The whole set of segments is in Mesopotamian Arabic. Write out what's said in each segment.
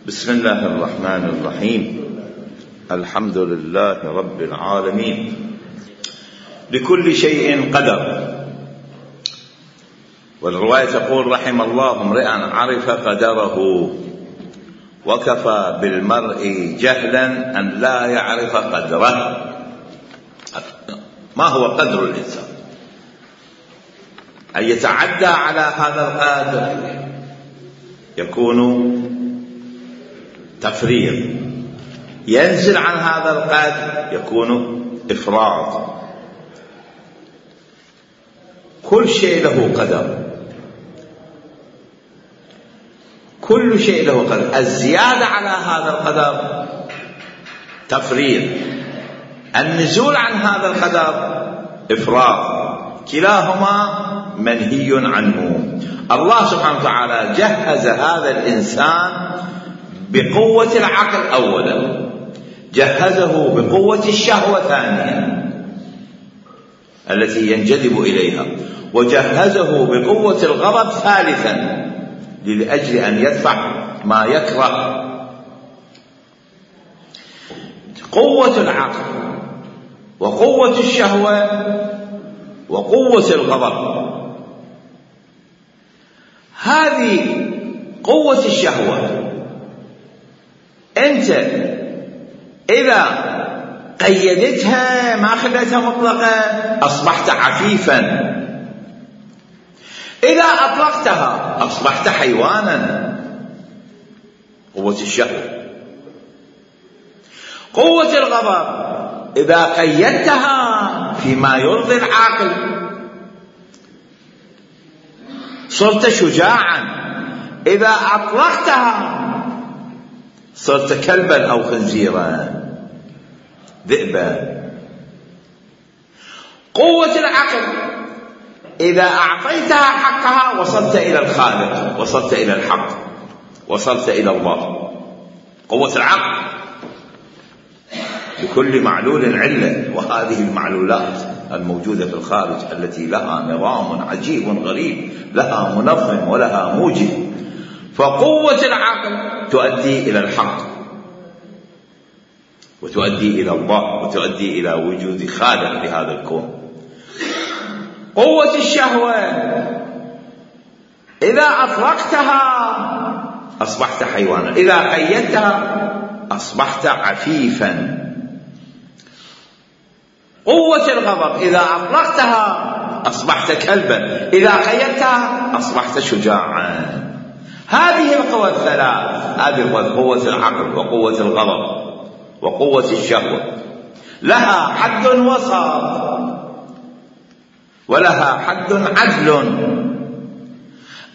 بسم الله الرحمن الرحيم. الحمد لله رب العالمين. لكل شيء قدر. والرواية تقول: رحم الله امرئا عرف قدره وكفى بالمرء جهلا أن لا يعرف قدره. ما هو قدر الإنسان؟ أن يتعدى على هذا القدر يكون تفريط، ينزل عن هذا القدر يكون إفراط. كل شيء له قدر، كل شيء له قدر. الزيادة على هذا القدر تفريط، النزول عن هذا القدر إفراط. كلاهما منهي عنه. الله سبحانه وتعالى جهز هذا الإنسان بقوة العقل أولا، جهزه بقوة الشهوة ثانيا التي ينجذب إليها، وجهزه بقوة الغضب ثالثا لأجل أن يدفع ما يكره. قوة العقل وقوة الشهوة وقوة الغضب. هذه قوة الشهوة أنت إذا قيدتها ما خليتها مطلقة أصبحت عفيفا، إذا أطلقتها أصبحت حيوانا. قوة الشهوة. قوة الغضب إذا قيدتها فيما يرضي العاقل صرت شجاعا، إذا أطلقتها صرت كلبا أو خنزيرا، ذئبا. قوة العقل إذا أعطيتها حقها وصلت إلى الخالق، وصلت إلى الحق، وصلت إلى الله. قوة العقل. لكل معلول علة، وهذه المعلولات الموجودة في الخارج التي لها نظام عجيب غريب، لها منظم ولها موجب. فقوة العقل تؤدي إلى الحق، وتؤدي إلى الله، وتؤدي إلى وجود خالق لهذا الكون. قوة الشهوة إذا أطلقتها أصبحت حيوانا، إذا قيدتها أصبحت عفيفا. قوة الغضب إذا أطلقتها أصبحت كلبا، إذا قيدتها أصبحت شجاعا. هذه القوى الثلاث، هذه قوة العقل وقوة الغضب وقوة الشهوة، لها حد وسط ولها حد عدل.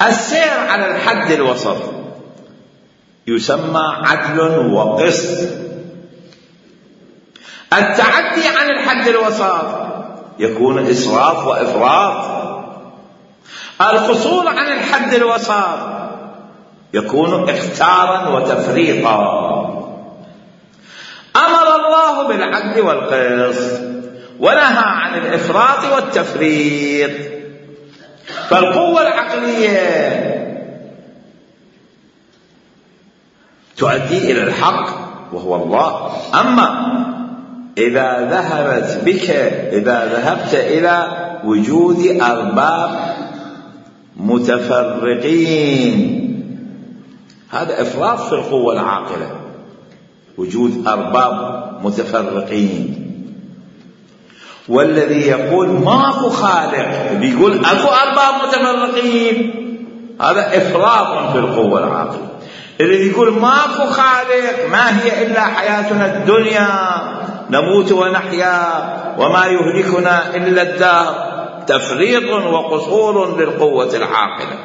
السير على الحد الوسط يسمى عدل وقسط. التعدي عن الحد الوسط يكون إسراف وإفراط. القصور عن الحد الوسط يكون اختارا وتفريطا. أمر الله بالعدل والقسط ونهى عن الإفراط والتفريط. فالقوة العقلية تؤدي إلى الحق وهو الله. أما إذا ذهبت إلى وجود أرباب متفرقين، هذا إفراط في القوة العاقلة، وجود أرباب متفرقين. والذي يقول ماكو خالق بيقول أكو أرباب متفرقين، هذا إفراط في القوة العاقلة. الذي يقول ماكو خالق، ما هي إلا حياتنا الدنيا نموت ونحيا وما يهلكنا إلا الدهر، تفريط وقصور للقوة العاقلة.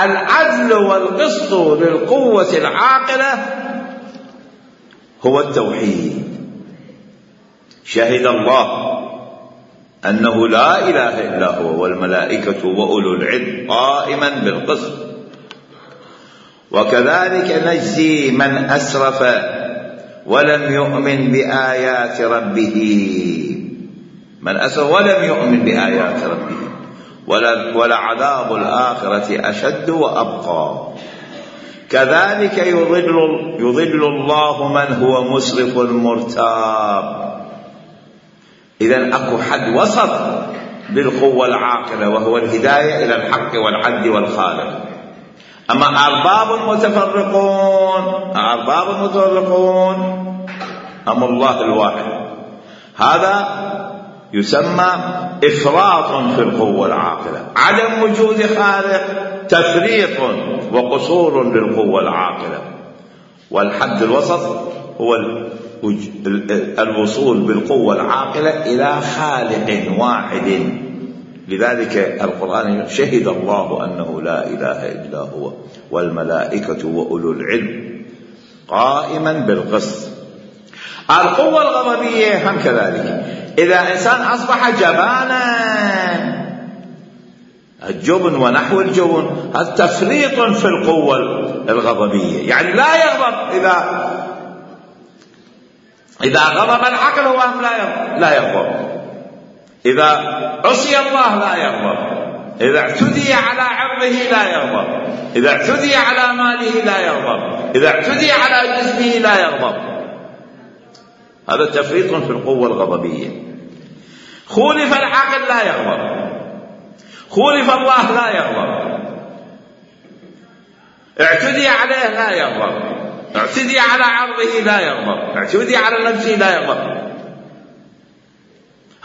العدل والقسط للقوة العاقلة هو التوحيد. شهد الله أنه لا إله إلا هو والملائكة وأولو العلم قائما بالقسط. وكذلك نجزي من أسرف ولم يؤمن بآيات ربه. من أسرف ولم يؤمن بآيات ربه ولعذاب الآخرة أشد وأبقى. كذلك يضل الله من هو مسرف مرتاب. إذن أكو حد وسط بالقوة العاقلة وهو الهداية إلى الحق والعدل والخالق. أما أرباب متفرقون أم الله الواحد، هذا يسمى إفراط في القوة العاقلة. عدم وجود خالق تفريط وقصور للقوة العاقلة. والحد الوسط هو الوصول بالقوة العاقلة إلى خالق واحد. لذلك القرآن شهد الله أنه لا إله إلا هو والملائكة وأولو العلم قائما بالقسط. القوة الغضبية هم كذلك. إذا إنسان أصبح جبانا، الجبن ونحو الجبن هذا تفريط في القوة الغضبية، يعني لا يغضب. إذا غضب العقل هو لا يغضب. إذا عصي الله لا يغضب. إذا اعتدي على عرضه لا يغضب. إذا اعتدي على ماله لا يغضب. إذا اعتدي على جسمه لا يغضب. هذا تفريط في القوة الغضبية. خولف العقل لا يغضب، خولف الله لا يغضب، اعتدي عليه لا يغضب، اعتدي على عرضه لا يغضب، اعتدي على نفسه لا يغضب.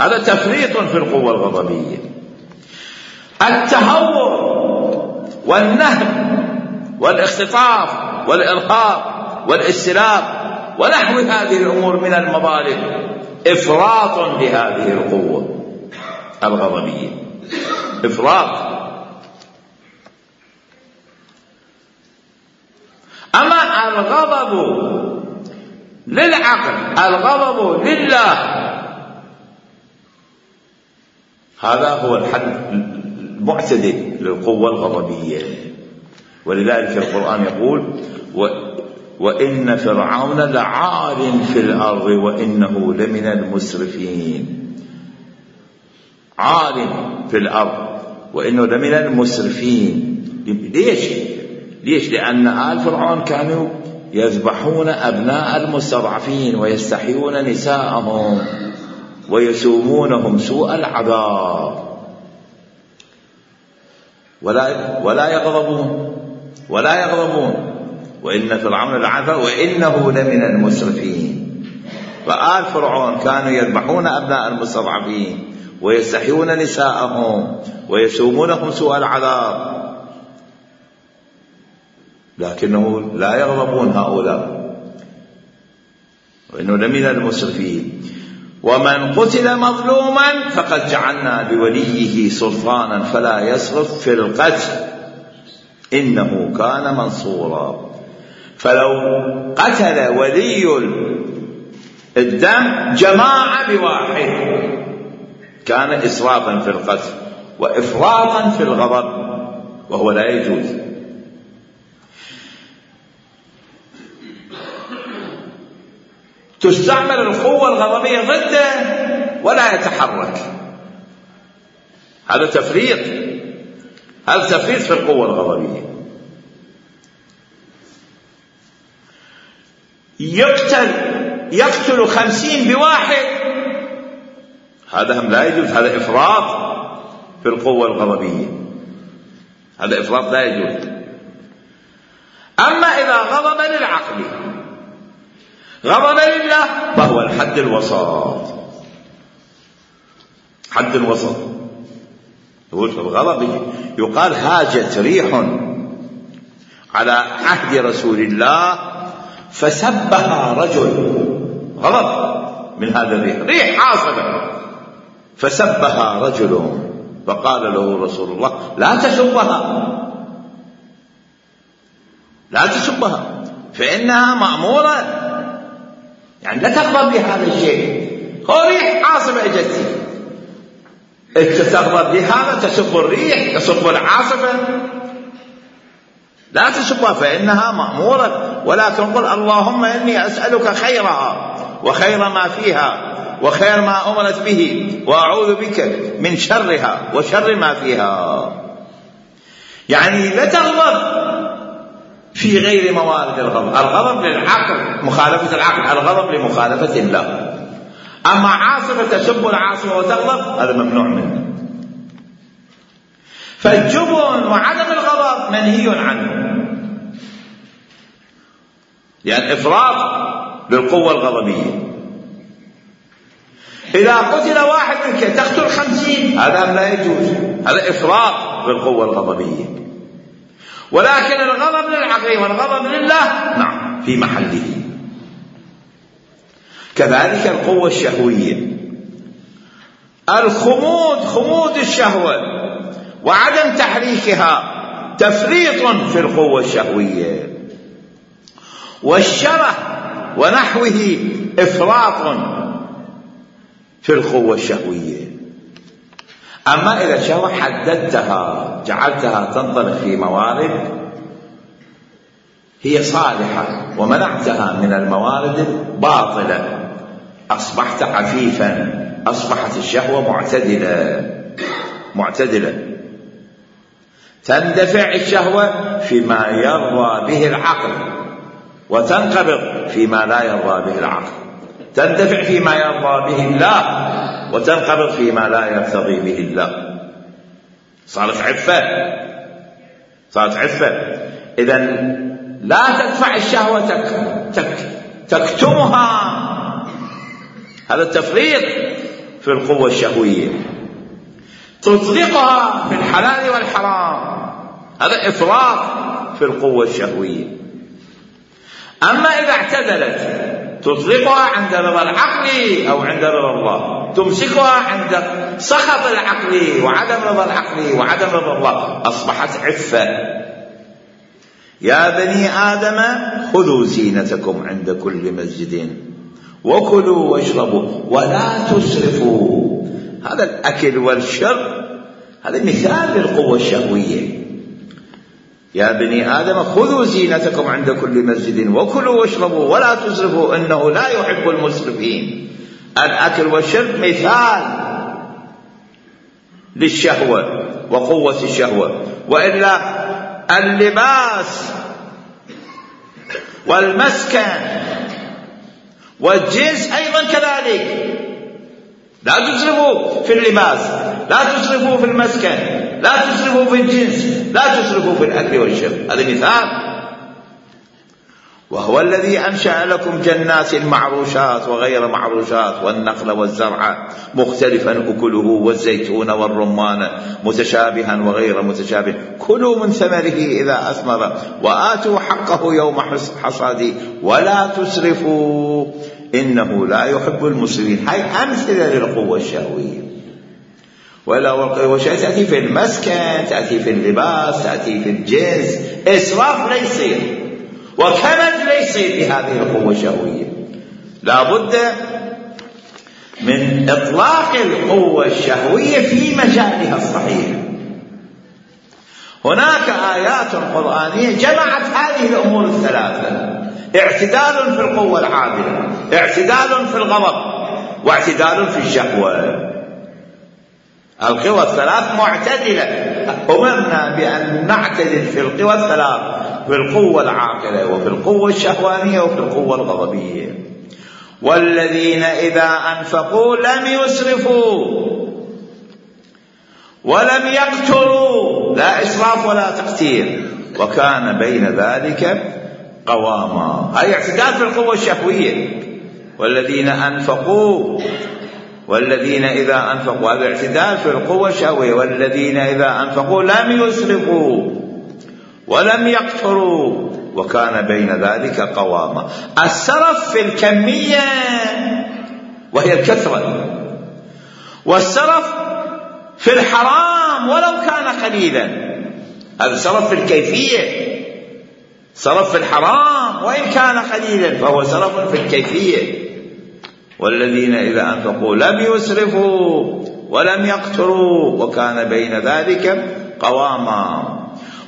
هذا تفريط في القوة الغضبية. التهور والنهب والاختطاف والإرهاب والاستلاب ونحو هذه الأمور من المظالم إفراط لهذه القوة الغضبية، إفراط. أما الغضب للعقل، الغضب لله، هذا هو الحد المعتدل للقوة الغضبية. ولذلك القرآن يقول وإن فرعون لعال في الأرض وإنه لمن المسرفين. عال في الأرض وإنه لمن المسرفين. ليش؟ لأن آل فرعون كانوا يذبحون أبناء المستضعفين ويستحيون نساءهم ويسومونهم سوء العذاب ولا يغضبون. وإن فرعون لعال وإنه لمن المسرفين. فآل فرعون كانوا يذبحون أبناء المستضعفين ويستحيون نساءهم ويسومونهم سوء العذاب، لكنه لا يغضبون هؤلاء. وإنه لمن المسرفين. ومن قتل مظلوما فقد جعلنا لوليه سلطانا فلا يسرف في القتل إنه كان منصورا. فلو قتل ولي الدم جماعة بواحد كان إسرافا في القتل وإفراطا في الغضب، وهو لا يجوز. تستعمل القوة الغضبية ضده ولا يتحرك. هذا تفريط، هذا تفريط في القوة الغضبية. يقتل 50 بواحد، هذا هم لا يجوز. هذا إفراط في القوة الغضبية، هذا إفراط لا يجوز. أما إذا غضب للعقل غضب لله فهو الحد الوسط. حد الوسط يقول في الغضب يقال هاجت ريح على عهد رسول الله فسبها رجل. غضب من هذا الريح، ريح عاصفة، فسبها رجل فقال له رسول الله لا تسبها فإنها مأمورة، يعني لا تغضب بهذا الشيء. هو ريح عاصفة اجت، انت تغضب بهذا، تسب الريح، تسب العاصفة، لا تسبها فإنها مأمورة. ولكن قل اللهم إني أسألك خيرها وخير ما فيها وخير ما أمرت به وأعوذ بك من شرها وشر ما فيها. يعني لا تغضب في غير موارد الغضب. الغضب للعقل، مخالفة العقل، الغضب لمخالفة الله. أما عاصفة تسب العاصفة وتغضب هذا ممنوع منه. فالجبن وعدم الغضب منهي عنه، يعني إفراط للقوة الغضبية. إذا قتل واحد منك تقتل 50 هذا لا يجوز، هذا إفراط للقوة الغضبية. ولكن الغضب للعقل والغضب لله نعم في محله. كذلك القوة الشهوية، خمود الشهوة وعدم تحريكها تفريط في القوة الشهوية، والشره ونحوه إفراط في القوة الشهوية. أما إذا الشهوة حددتها جعلتها تنطلق في موارد هي صالحة ومنعتها من الموارد الباطلة، أصبحت عفيفا، أصبحت الشهوة معتدلة. تندفع الشهوة فيما يرضى به العقل وتنقبض فيما لا يرضى به العقل، تندفع فيما يرضى به الله وتنقبض فيما لا يرتضي به الله. صارت عفة. إذن لا تدفع الشهوة تكتمها، هذا التفريط في القوة الشهوية. تطلقها في الحلال والحرام، هذا إفراط في القوة الشهوية. أما إذا اعتدلت تطلقها عند رضا العقل أو عند رضا الله، تمسكها عند سخط العقل وعدم رضا العقل وعدم رضا الله، أصبحت عفة. يا بني آدم خذوا زينتكم عند كل مسجد وكلوا واشربوا ولا تسرفوا. هذا الأكل والشرب هذا مثال للقوة الشهوية. يا بني آدم خذوا زينتكم عند كل مسجد وكلوا واشربوا ولا تسرفوا إنه لا يحب المسرفين. الأكل والشرب مثال للشهوة وقوة الشهوة. وإلا اللباس والمسكن والجنس أيضا كذلك، لا تسرفوا في اللباس، لا تسرفوا في المسكن، لا تسرفوا في الجنس، لا تسرفوا في الأكل والشرب. هذا مثال. وهو الذي أنشأ لكم جنات معروشات وغير معروشات والنخل والزرع مختلفا أكله والزيتون والرمان متشابها وغير متشابه كلوا من ثمره إذا أثمر وآتوا حقه يوم حصاده ولا تسرفوا إنه لا يحب المسرفين. هاي أمثلة للقوة الشهوية. والشهوة تأتي في المسكن، تأتي في اللباس، تأتي في الجنس. إسراف لا يصير وكمد لا يصير بهذه القوة الشهوية. لا بد من إطلاق القوة الشهوية في مجالها الصحيح. هناك آيات قرآنية جمعت هذه الأمور الثلاثة: اعتدال في القوة العادلة، اعتدال في الغضب، واعتدال في الشهوة. القوى الثلاث معتدلة. أمرنا بأن نعتدل في القوى الثلاث، في القوة العاقلة وفي القوة الشهوانية وفي القوة الغضبية. والذين إذا أنفقوا لم يسرفوا ولم يقتروا، لا إسراف ولا تقتير، وكان بين ذلك قواما. هذا اعتدال في القوة الشهوية. والذين أنفقوا، والذين إذا أنفقوا، هذا اعتدال في القوة الشهوية. والذين إذا أنفقوا لم يسرفوا ولم يقتروا وكان بين ذلك قواما. السرف في الكمية وهي الكثرة، والسرف في الحرام ولو كان قليلا. هذا سرف في الكيفية. سرف في الحرام وإن كان قليلا فهو سرف في الكيفية. والذين إذا أنفقوا لم يسرفوا ولم يقتروا وكان بين ذلك قواما.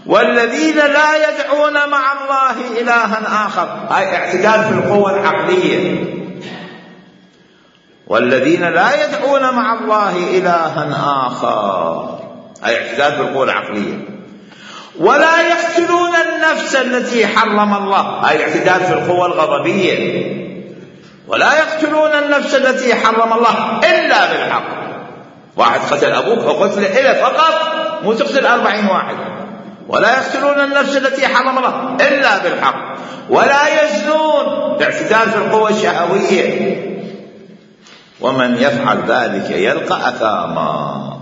والذين لا يدعون مع الله إلها آخر، هاي اعتدال في القوة العقلية. والذين لا يدعون مع الله إلها آخر، هاي اعتدال في القوة العقلية. ولا يقتلون النفس التي حرم الله، هاي الاعتدال في القوة الغضبية، ولا يقتلون النفس التي حرم الله إلا بالحق. واحد قتل أبوك وقتل إلى فقط، مو تقتل 40 واحد. ولا يقتلون النفس التي حرم الله إلا بالحق ولا يزنون، الاعتدال في القوة الشهوية. ومن يفعل ذلك يلقى أثاما.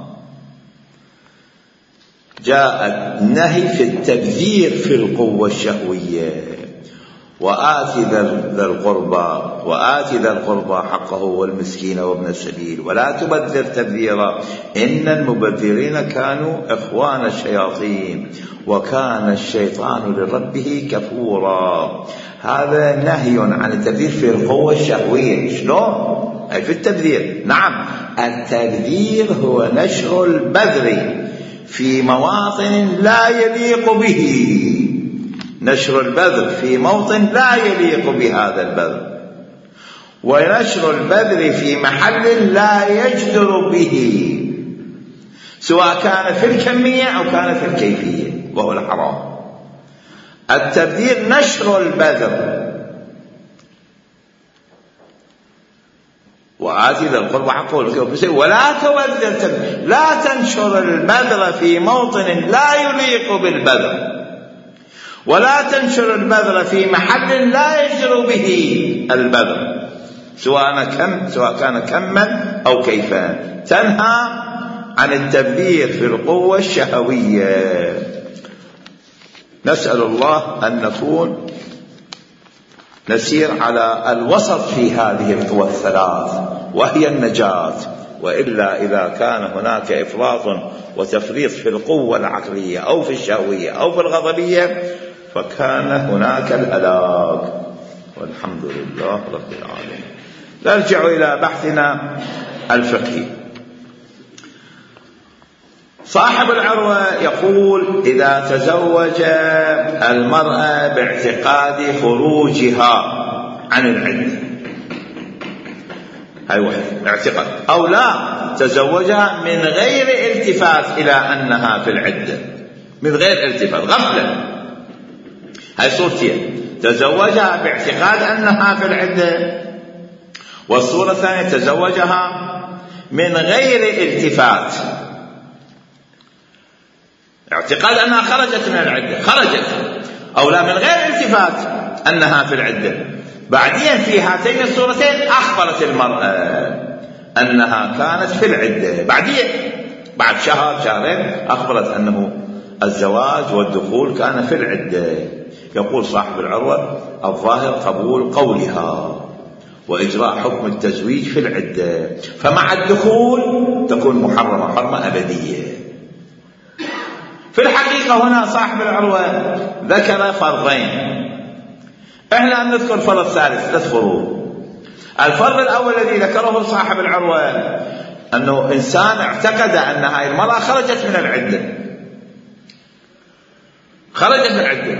جاء النهي في التبذير في القوة الشهوية. وآت ذا القربى حقه والمسكين وابن السبيل ولا تبذر تبذيرا إن المبذرين كانوا إخوان الشياطين وكان الشيطان لربه كفورا. هذا نهي عن التبذير في القوة الشهوية. شلون؟ أي في التبذير. نعم، التبذير هو نشر البذر في مواطن لا يليق به، نشر البذر في موطن لا يليق بهذا البذر، ونشر البذر في محل لا يجدر به، سواء كان في الكمية أو كان في الكيفية، وهو الحرام. التبذير نشر البذر. وآت ذا القربى حقه ولا تبذر، لا تنشر البذر في موطن لا يليق بالبذر، ولا تنشر البذر في محل لا يجدر به البذر، سواء كان كما أو كيفا. تنهى عن التبذير في القوة الشهوية. نسأل الله أن نكون نسير على الوسط في هذه القوى الثلاث وهي النجاة. وإلا إذا كان هناك إفراط وتفريط في القوة العقلية أو في الشهوية أو في الغضبية فكان هناك الهلاك. والحمد لله رب العالمين. نرجع إلى بحثنا الفقهي. صاحب العروة يقول: إذا تزوج المرأة باعتقاد خروجها عن العدة، هاي واحد اعتقاد، أو لا تزوجها من غير التفات إلى أنها في العدة، من غير التفات، غفلة، هاي صورتين: تزوجها باعتقاد أنها في العدة، والصورة الثانية تزوجها من غير التفات، اعتقاد أنها خرجت من العدة، خرجت، أو لا من غير التفات أنها في العدة. بعدين في هاتين الصورتين أخبرت المرأة أنها كانت في العدة، بعدين بعد شهر شهرين أخبرت أنه الزواج والدخول كان في العدة. يقول صاحب العروة: الظاهر قبول قولها وإجراء حكم التزويج في العدة، فمع الدخول تكون محرمة حرمة أبدية. في الحقيقة هنا صاحب العروة ذكر فرضين، احنا نذكر فرض ثالث، 3 فروض. الفرض الأول الذي ذكره صاحب العروة أنه إنسان اعتقد أن هاي المرأة خرجت من العدة، خرجت من العدة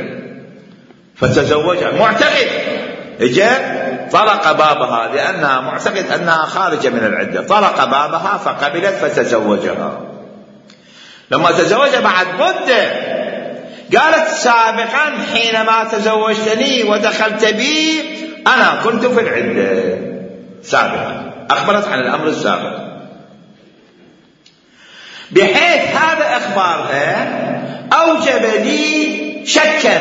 فتزوجها، معتقد، اجى طرق بابها لأنها معتقد أنها خارجة من العدة، طرق بابها فقبلت فتزوجها. لما تزوجها بعد مدة قالت: سابقا حينما تزوجتني ودخلت بي أنا كنت في العدة سابقا، أخبرت عن الأمر السابق، بحيث هذا إخبارها أوجب لي شكا،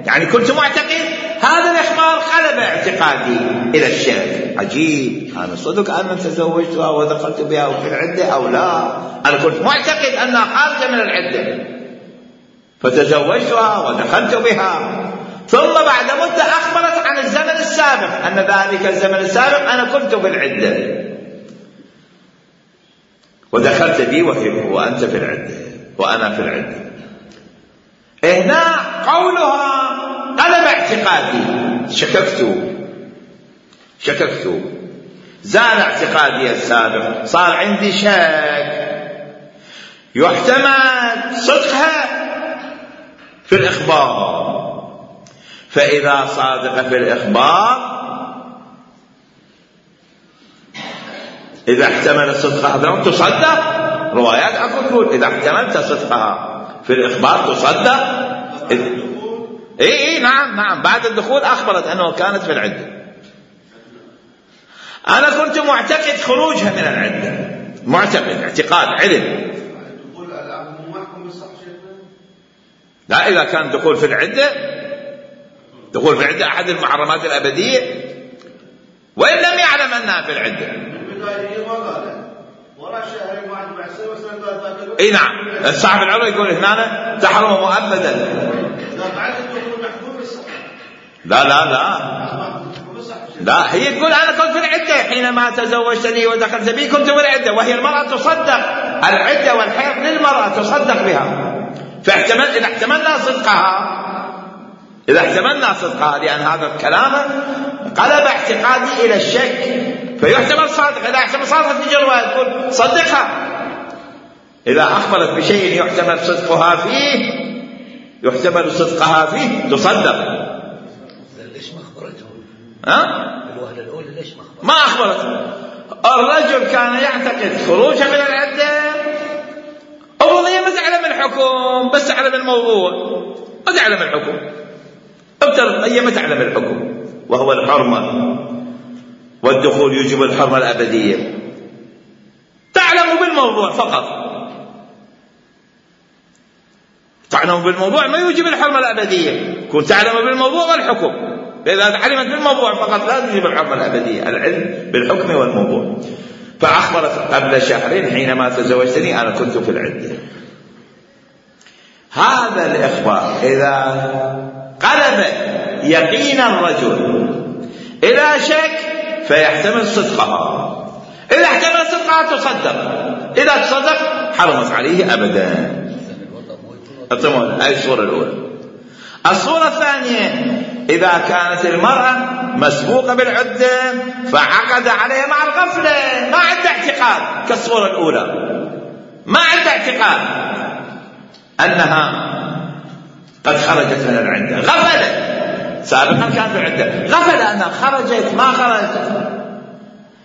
يعني كنت معتقد، هذا الإخبار قلب اعتقادي إلى الشك. عجيب، أنا صدق أنا تزوجتها ودخلت بها في العدة أو لا؟ أنا كنت معتقد أنها خارجة من العدة فتزوجتها ودخلت بها، ثم بعد مدة أخبرت عن الزمن السابق أن ذلك الزمن السابق أنا كنت في العدة ودخلت بي وأنت في العدة وأنا في العدة. هنا قولها قلب اعتقادي، شككت، زال اعتقادي السابق، صار عندي شك، يحتمل صدقها في الإخبار. فإذا صادق في الإخبار، إذا احتمل صدقها تصدق، روايات أكو تقول إذا احتملت صدقها في الإخبار تصدق. اي نعم بعد الدخول أخبرت أنه كانت في العدة. أنا كنت معتقد خروجها من العدة، معتقد اعتقاد علم. لا، إذا كان دخول في العدة أحد المحرمات الأبدية، وإن لم يعلم أنها في العدة. اي نعم، صاحب العروة يقول هنا تحرم مؤبدا. لا هي تقول أنا كنت في العدة حينما تزوجتني ودخلت بي، كنت في العدة، وهي المرأة تصدق العدة والحيض للمرأة تصدق بها. فاحتمل إذا احتملنا صدقها لأن هذا الكلام قلب اعتقادي إلى الشك، فيحتمل صادق. إذا احتمل صادق تجي الرواية تقول صدقها. إذا أخبرت بشيء يحتمل صدقها فيه تصدق. ليش ما أخبرته؟ الوهلة الأولى ليش ما أخبرته؟ الرجل كان يعتقد خروجها من العدة، هي ما تعلم الحكم، بس تعلم الموضوع، ما تعلم الحكم. هي ما تعلم الحكم وهو الحرمة، والدخول يوجب الحرمة الأبدية. تعلم بالموضوع فقط، تعلم بالموضوع ما يوجب الحرمة الأبدية. كنت تعلم بالموضوع والحكم، فإذا علمت بالموضوع فقط لا تجيب الحرمة الأبدية. العلم بالحكم والموضوع. فأخبرت قبل شهرين حينما تزوجتني أنا كنت في العدة. هذا الإخبار إذا قلب يقين الرجل إلى شك فيحتمل صدقها. إذا احتمل صدقها تصدق، إذا تصدق حرمت عليه أبدا. هذه الصورة الأولى. الصورة الثانية، إذا كانت المرأة مسبوقة بالعدة فعقد عليها مع الغفلة، ما عنده اعتقاد كالصورة الأولى، ما عنده اعتقاد أنها قد خرجت من العدة، غفلت. سابقا كانت بالعدة، غفل أنها خرجت ما خرجت،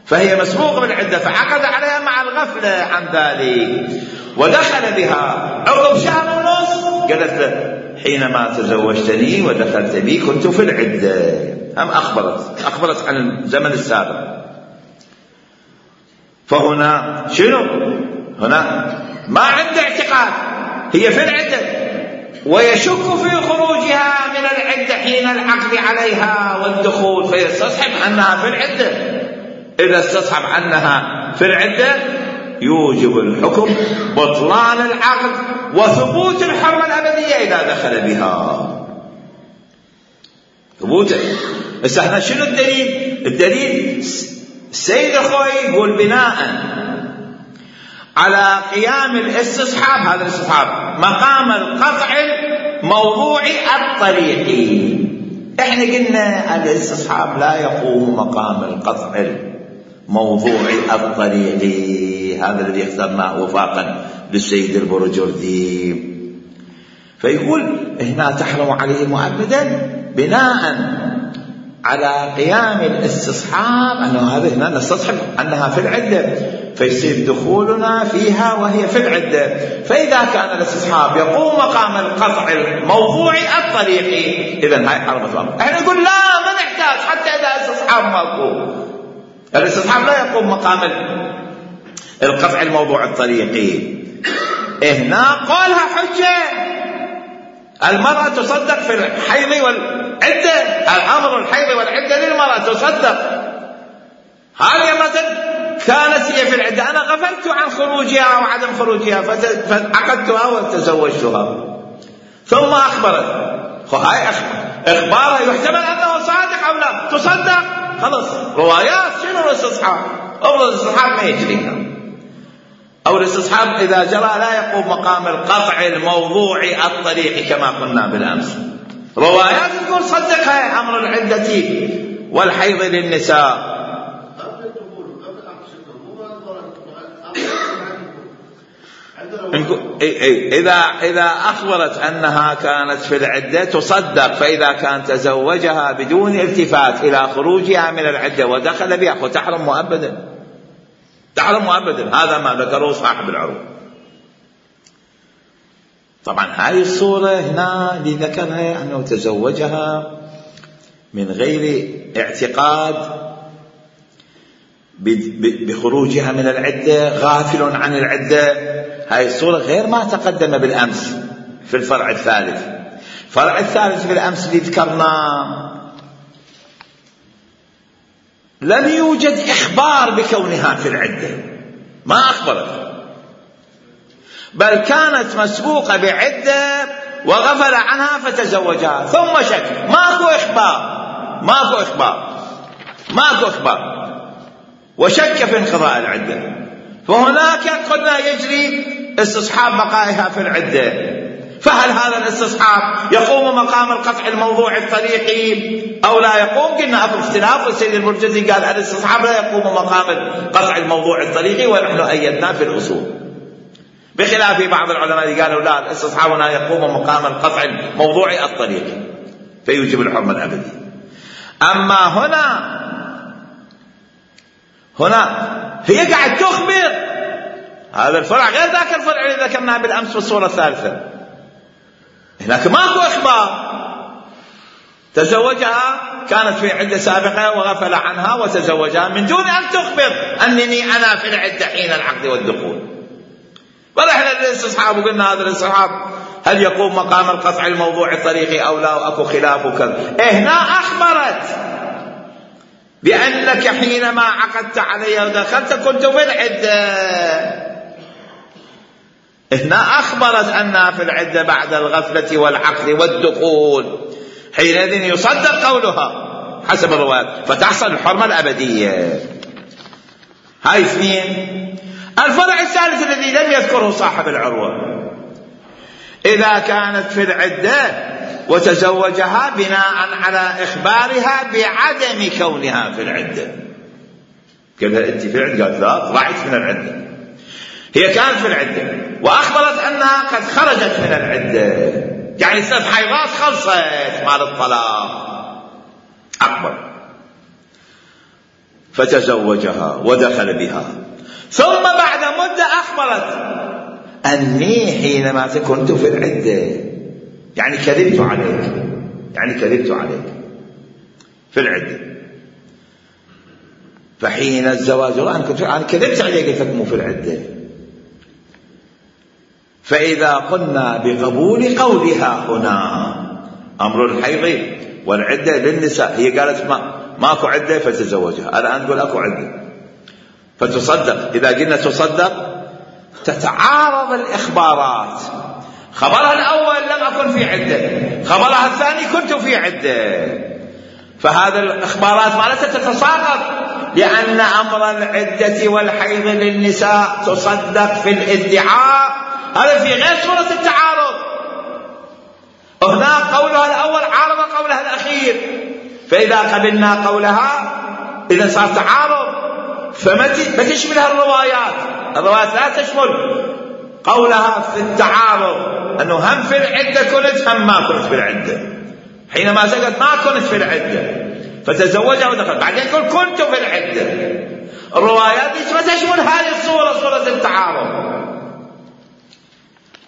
فهي مسبوقة بالعدة فعقد عليها مع الغفلة عن ذلك، ودخل بها عقب شهر ونص. قالت له حينما تزوجتني ودخلت بي كنت في العدة. أم أخبرت عن الزمن السابق. فهنا شنو؟ هنا ما عنده اعتقاد، هي في العدة ويشك في خروجها من العدة حين العقد عليها والدخول، فيستصحب أنها في العدة. إذا استصحب أنها في العدة يوجب الحكم بطلان العقد وثبوت الحرمة الأبدية إذا دخل بها. ثبوته. هنا شنو الدليل؟ الدليل السيد أخوي يقول بناء على قيام الاستصحاب، هذا الاستصحاب مقام القطع الموضوعي الطريقي. احنا قلنا الاستصحاب لا يقوم مقام القطع الموضوعي الطريقي، هذا الذي اخترناه وفاقا للسيد البرجردي. فيقول هنا تحرم عليه مؤبدا بناء على قيام الاستصحاب، أنه هذا هنا نستصحب أنها في العدة، فيصير دخولنا فيها وهي في العدة. فإذا كان الاستصحاب يقوم مقام القطع الموضوعي الطريقي إذن هاي حرمت الأمر. احنا نقول لا، ما نحتاج حتى إذا الاستصحاب ما يقوم، الاستصحاب لا يقوم مقام القطع الموضوع الطريقي. هنا قالها حجة، المرأة تصدق في الحيض والعدة، الأمر الحيض والعدة للمرأة تصدق. هذه مثلا كانت هي في العدة، أنا غفلت عن خروجها وعدم خروجها فعقدتها وتزوجتها، ثم أخبرت. هاي إخبارها يحتمل أنه صادق أو لا، تصدق خلص. روايات شنو الاستصحاب؟ أفضل الاستصحاب ما يجريها، أو الاستصحاب إذا جرى لا يقوم مقام القطع الموضوعي الطريقي كما قلنا بالأمس. روايات تقول صدقها أمر العدة والحيض للنساء. إذا أخبرت أنها كانت في العدة تصدق، فإذا كان تزوجها بدون التفات إلى خروجها من العدة ودخل بها فتحرم مؤبدا، تحرم مؤبدا. هذا ما ذكره صاحب العروة. طبعا هاي الصورة هنا اللي ذكرها أنه تزوجها من غير اعتقاد بخروجها من العدة، غافل عن العدة. هاي الصورة غير ما تقدم بالأمس في الفرع الثالث. الفرع الثالث بالأمس اللي ذكرناه لم يوجد إخبار بكونها في العدة، ما أخبرت، بل كانت مسبوقة بعدة وغفل عنها فتزوجها ثم شك. ماكو إخبار وشك في انقضاء العدة، فهناك قلنا يجري استصحاب بقائها في العدة. فهل هذا الاستصحاب يقوم مقام القطع الموضوع الطريقي أو لا يقوم؟ قلنا أكو اختلاف، والسيد المرجزي قال الاستصحاب لا يقوم مقام القطع الموضوع الطريقي، ونحن أيدنا في الأصول، بخلاف بعض العلماء قالوا لا، الاستصحاب هنا يقوم مقام القطع الموضوعي الطريقي فيوجب الحرمة الأبدي. أما هنا هي قاعد تخبر، هذا الفرع غير ذاك الفرع اللي ذكرناه بالأمس في الصورة الثالثة. هناك ماكو إخبار، تزوجها كانت في عدة سابقة وغفل عنها وتزوجها من دون أن تخبر أنني أنا في العدة حين العقد والدخول. ونحن الاستصحاب وقلنا هذا الاستصحاب هل يقوم مقام القطع الموضوع الطريقي أو لا، وأكو خلاف وكذا. هنا أخبرت بأنك حينما عقدت علي ودخلت كنت في العدة. هنا أخبرت أنها في العدة بعد الغفلة والعقد والدخول، حينئذ يصدق قولها حسب الروايات فتحصل الحرمة الأبدية. هاي اثنين. الفرع الثالث الذي لم يذكره صاحب العروة، إذا كانت في العدة وتزوجها بناء على إخبارها بعدم كونها في العدة. قال لها أنت في العدة؟ قالت لا، طلعت من العدة. هي كانت في العدة وأخبرت أنها قد خرجت من العدة، يعني 3 حيضات خلصت مال الطلاق، أكبر، فتزوجها ودخل بها، ثم بعد مدة أخبرت أني حينما كنت في العدة، يعني كذبت عليك في العدة. فحين الزواج أنا كذبت عليك فكموا في العدة. فإذا قلنا بقبول قولها هنا أمر الحيض والعدة للنساء، هي قالت ماكو عدة فتزوجها، الآن تقول أكو عدة فتصدق. إذا قلنا تصدق تتعارض الإخبارات، خبرها الأول لم أكن في عدة، خبرها الثاني كنت في عدة، فهذا الإخبارات مالتها تتساقط، لأن أمر العدة والحيض للنساء تصدق في الادعاء. هذا في غير صورة التعارض. هنا قولها الأول عارض قولها الأخير، فإذا قبلنا قولها إذا صار تعارض، فما تشملها الروايات لا تشمل قولها في التعارض، أنه هم في العدة كنت هم ما كنت في العدة. حينما سقط ما كنت في العدة فتزوجها ودخل، بعدين يقول كنت في العدة. الروايات ما تشمل هذه الصورة، صورة التعارض،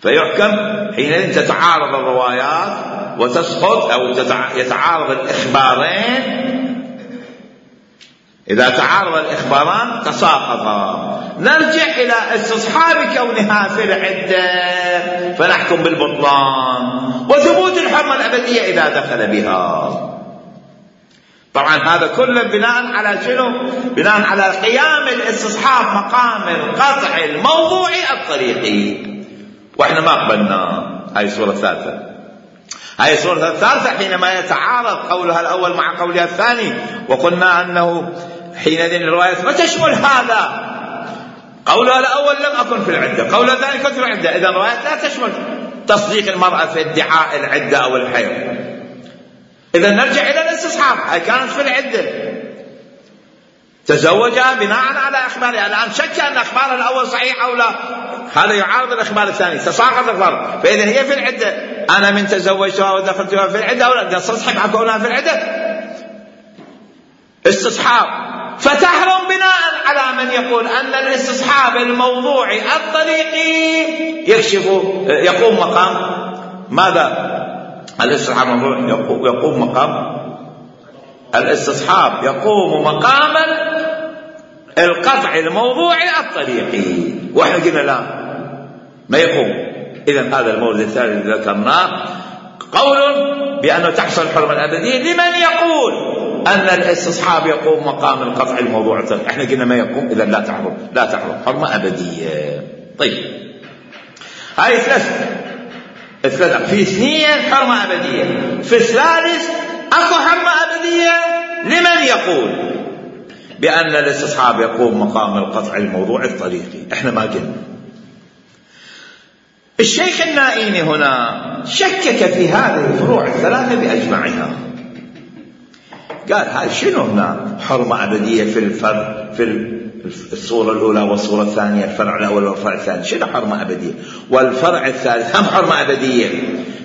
فيحكم حينئذ تتعارض الروايات وتسقط أو يتعارض الإخبارين. إذا تعارض الإخباران تساقطا. نرجع إلى استصحاب كونها في العدة فنحكم بالبطلان وثبوت الحرمة الأبدية إذا دخل بها. طبعا هذا كله بناء على شنو؟ بناء على قيام الاستصحاب مقام القطع الموضوعي الطريقي، واحنا ما قبلنا. هاي الصورة الثالثة حينما يتعارض قولها الأول مع قولها الثاني، وقلنا أنه حينئذ الروايات ما تشمل هذا. قولها الأول لم أكن في العدة، قولها الثاني كنت في العدة، إذا الروايات لا تشمل تصديق المرأة في ادعاء العدة أو الحيض. إذا نرجع إلى الاستصحاب، هي كانت في العدة تزوجها بناء على أخبارها. الآن شك أن أخبارها الأول صحيح أو لا، هذا يعارض الأخبار الثاني، تساقط الأخبار. فإذا هي في العدة، أنا من تزوجتها ودخلتها في العدة أو لا، نستصحب كونها في العدة استصحاب. فتحرم بناء على من يقول أن الاستصحاب الموضوعي الطريقي يقوم مقام ماذا؟ الاستصحاب الموضوعي يقوم مقام الاستصحاب، يقوم مقام القطع الموضوعي الطريقي، واحنا قلنا لا ما يقوم. إذن هذا المورد الثاني الذي ذكرناه قول بأنه تحصل الحرمة الأبدية لمن يقول أن الاستصحاب يقوم مقام القطع الموضوعي الطريقي. احنا قلنا ما يقوم، إذن لا تحرم حرمة أبدية. طيب هاي ثلاثة، في اثنين حرمة أبدية، في الثالث أكو حرمة أبدية لمن يقول بأن الاستصحاب يقوم مقام القطع الموضوعي الطريقي. احنا ما قلنا. الشيخ النائيني هنا شكك في هذه الفروع الثلاثة بأجمعها، قال هاي شنو هنا حرمة أبدية في الصورة الأولى والصورة الثانية، الفرع الأول والفرع الثاني، شنو حرمة أبدية؟ والفرع الثالث هم حرمة أبدية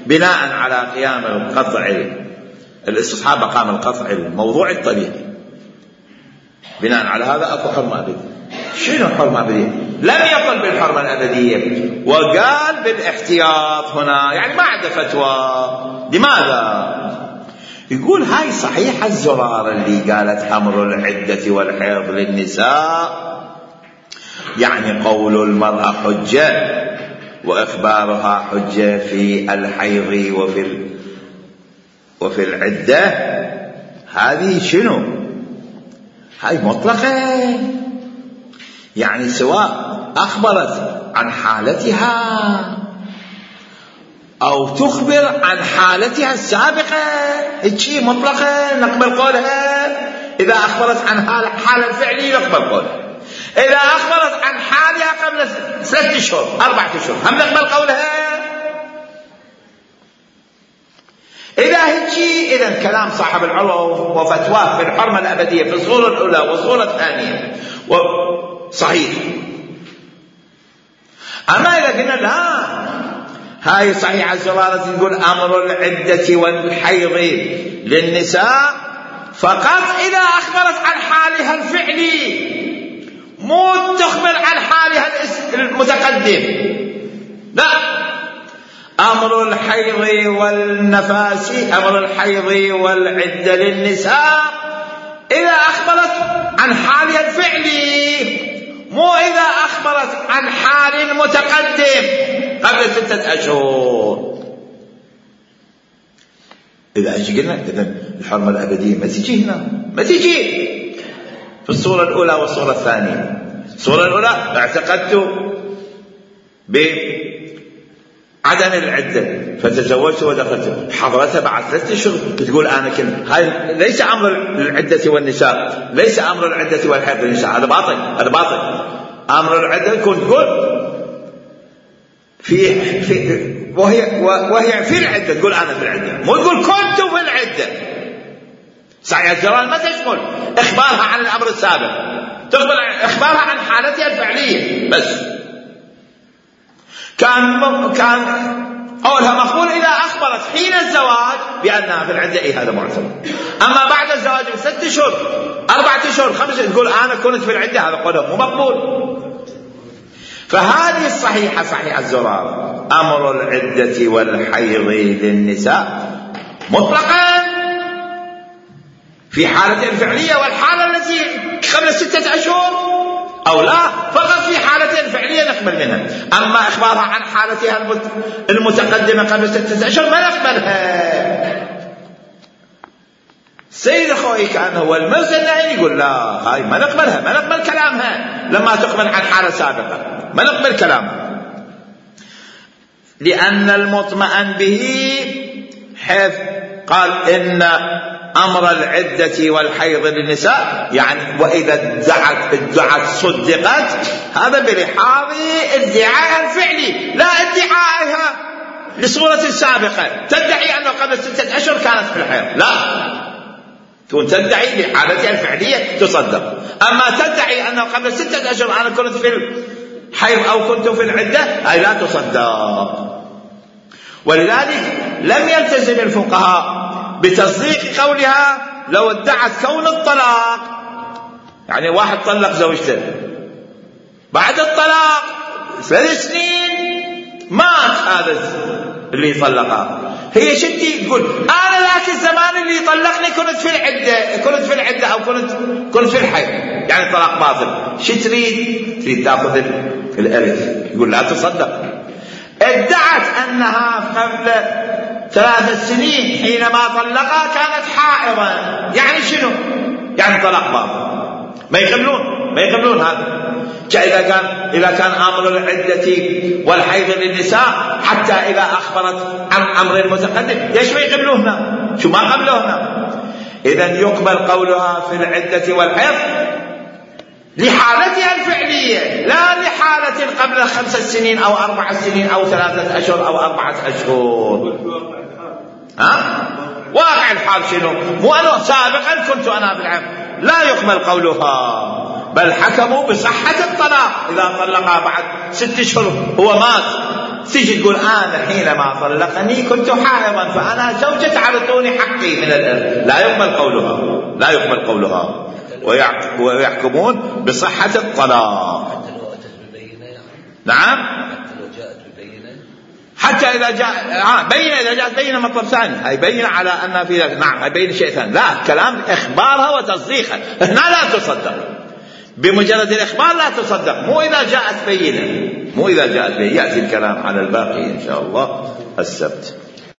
بناء على قيام القطع الاستصحاب مقام القطع الموضوعي الطريقي. بناء على هذا أكو حرمة أبدية. شنو حرمة أبدية؟ لم يقل بالحرمة الأبدية وقال بالاحتياط هنا، يعني ما عنده فتوى. لماذا؟ يقول هاي صحيح الزرار اللي قالت أمر العدة والحيض للنساء، يعني قول المرأة حجة وإخبارها حجة في الحيض وفي العدة، هذه شنو؟ هاي مطلقة، يعني سواء أخبرت عن حالتها أو تخبر عن حالتها السابقة، هيك مطلقة نقبل قولها. إذا أخبرت عن حال الفعلي نقبل قولها، إذا أخبرت عن حالها قبل 3 أشهر 4 أشهر هم نقبل قولها. إذا هيك إذن كلام صاحب العلو وفتواه في الحرمة الأبدية في الصورة الأولى والصورة الثانية صحيح. أما إذا قلنا لا هاي صحيح الزرارة تقول أمر العدة والحيض للنساء فقط إذا أخبرت عن حالها الفعلي، مو تخبر عن حالها المتقدم. لا، أمر الحيض والنفاس، أمر الحيض والعدة للنساء إذا أخبرت عن حالها الفعلي، مو إذا أخبرت عن حال المتقدم قبل 6 أشهر. إذا أجي قلنا إذن الحرمة الأبدية ما تجي هنا، ما تجي في الصورة الأولى والصورة الثانية. الصورة الأولى اعتقدت بعدم العدة فتزوجت ودخلت، حضرتها بعد 3 أشهر تقول أنا كنت. هاي ليس أمر العدة والنساء، ليس أمر العدة والحيض للنساء، هذا باطل، هذا باطل. أمر العدة يكون تقول وهي في العدة، تقول أنا في العدة، مو تقول كنت في العدة. صحيح الجرائم ما تشمل إخبارها عن الأمر السابق، تخبر إخبارها عن حالتها الفعلية بس. كان قولها مقبول إذا أخبرت حين الزواج بأنها في العدة، هذا معتبر. أما بعد الزواج ب6 أشهر 4 أشهر 5 تقول أنا كنت في العدة، هذا قوله مو مقبول. فهذه الصحيحة صحيح الزرار أمر العدة والحيض للنساء مطلقا في حالة الفعلية والحالة التي قبل 6 أشهر، أو لا فقط في حالة فعلية نقبل منها. أما إخبارها عن حالتها المتقدمة قبل 6 أشهر ما نقبلها. سيد أخوي كان هو المرسل النائي يقول لا هاي ما نقبلها، ما نقبل كلامها لما تقبل عن حالة سابقة، ما نقبل كلامها، لأن المطمئن به حيث قال إن أمر العدة والحيض للنساء، يعني وإذا ادعت صدقت، هذا بلحاظ ادعاء الفعلي لا ادعائها لصورة سابقة تدعي أنه قبل 6 أشهر كانت في الحيض، لا، تكون تدعي بحالتها الفعلية تصدق. أما تدعي أنه قبل 6 أشهر أنا كنت في الحيض أو كنت في العدة، أي لا تصدق. ولذلك لم يلتزم الفقهاء بتصديق قولها لو ادعت كون الطلاق يعني واحد طلق زوجته، بعد الطلاق 3 سنين مات هذا اللي طلقها، هي شتي تقول انا ذاك الزمان اللي طلقني كنت في العده او كنت في الحيض، يعني طلاق باطل. شو تريد تاخذ الارث. يقول لا تصدق. ادعت انها قبل 3 سنين حينما طلقها كانت حائضا، يعني شنو؟ يعني طلاق باطل. ما يقبلون هذا. إذا كان أمر العدة والحيض للنساء حتى إذا أخبرت عن أمر متقدم، ليش ما يقبلوهنا؟ شو ما قبلوهنا؟ إذن يقبل قولها في العدة والحيض لحالتها الفعلية، لا لحالة قبل 5 سنين أو 4 سنين أو 3 أشهر أو 4 أشهر. واقع الحال شنو؟ مو أنا سابقا كنت أنا في العام. لا يقبل قولها، بل حكموا بصحة الطلاق. إذا طلقها بعد 6 أشهر هو مات، تيجي تقول أنا حينما طلقني كنت حائضا فأنا زوجة تعرضوني حقي من الإرث. لا يقبل قولها ويحكمون بصحة الطلاق. نعم، حتى إذا جاء بينة، إذا جاءت بينة مطلب ثاني، هي بينة على أن في ذلك. نعم، هي بينة شيء ثاني. لا، كلام إخبارها وتصديقها هنا لا تصدق. بمجرد الإخبار لا تصدق، مو إذا جاءت بينة. يأتي الكلام على الباقي إن شاء الله السبت.